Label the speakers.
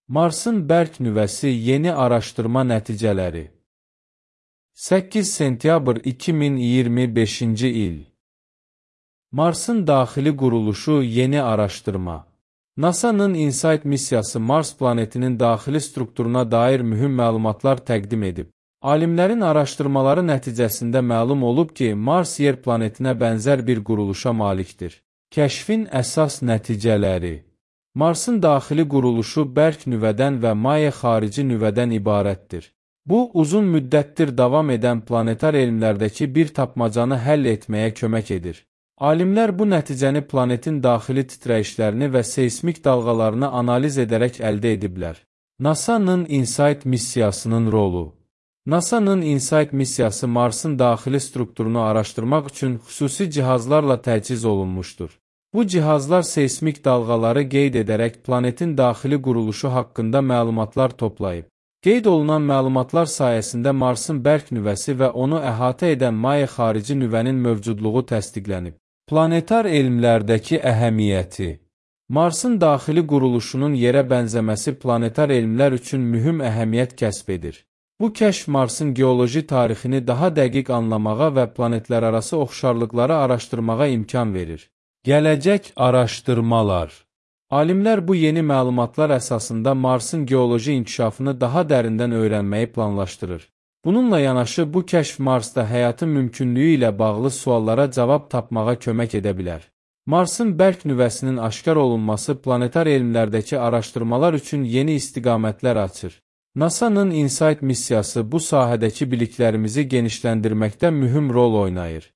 Speaker 1: Marsın bərk nüvəsi yeni araşdırma nəticələri. 8 sentyabr 2025-ci il. Marsın daxili quruluşu yeni araşdırma. NASA-nın InSight missiyası Mars planetinin daxili strukturuna dair mühüm məlumatlar təqdim edib. Alimlərin araşdırmaları nəticəsində məlum olub ki, Mars yer planetinə bənzər bir quruluşa malikdir. Kəşfin əsas nəticələri. Marsın daxili quruluşu bərk nüvədən və maye xarici nüvədən ibarətdir. Bu, uzun müddətdir davam edən planetar elmlərdəki bir tapmacanı həll etməyə kömək edir. Alimlər bu nəticəni planetin daxili titrəyişlərini və seismik dalğalarını analiz edərək əldə ediblər. NASA-nın InSight missiyasının rolu. NASA-nın InSight missiyası Marsın daxili strukturunu araşdırmaq üçün xüsusi cihazlarla təchiz olunmuşdur. Bu cihazlar seismik dalğaları qeyd edərək planetin daxili quruluşu haqqında məlumatlar toplayıb. Qeyd olunan məlumatlar sayəsində Marsın bərk nüvəsi və onu əhatə edən maye xarici nüvənin mövcudluğu təsdiqlənib. Planetar elmlərdəki əhəmiyyəti. Marsın daxili quruluşunun yerə bənzəməsi planetar elmlər üçün mühüm əhəmiyyət kəsb edir. Bu kəşf Marsın geoloji tarixini daha dəqiq anlamağa və planetlərarası oxşarlıqları araşdırmağa imkan verir. Gələcək araşdırmalar. Alimlər bu yeni məlumatlar əsasında Marsın geoloji inkişafını daha dərindən öyrənməyi planlaşdırır. Bununla yanaşı, bu kəşf Marsda həyatın mümkünlüyü ilə bağlı suallara cavab tapmağa kömək edə bilər. Marsın bərk nüvəsinin aşkar olunması planetar elmlərdəki araşdırmalar üçün yeni istiqamətlər açır. NASA-nın InSight missiyası bu sahədəki biliklərimizi genişləndirməkdə mühüm rol oynayır.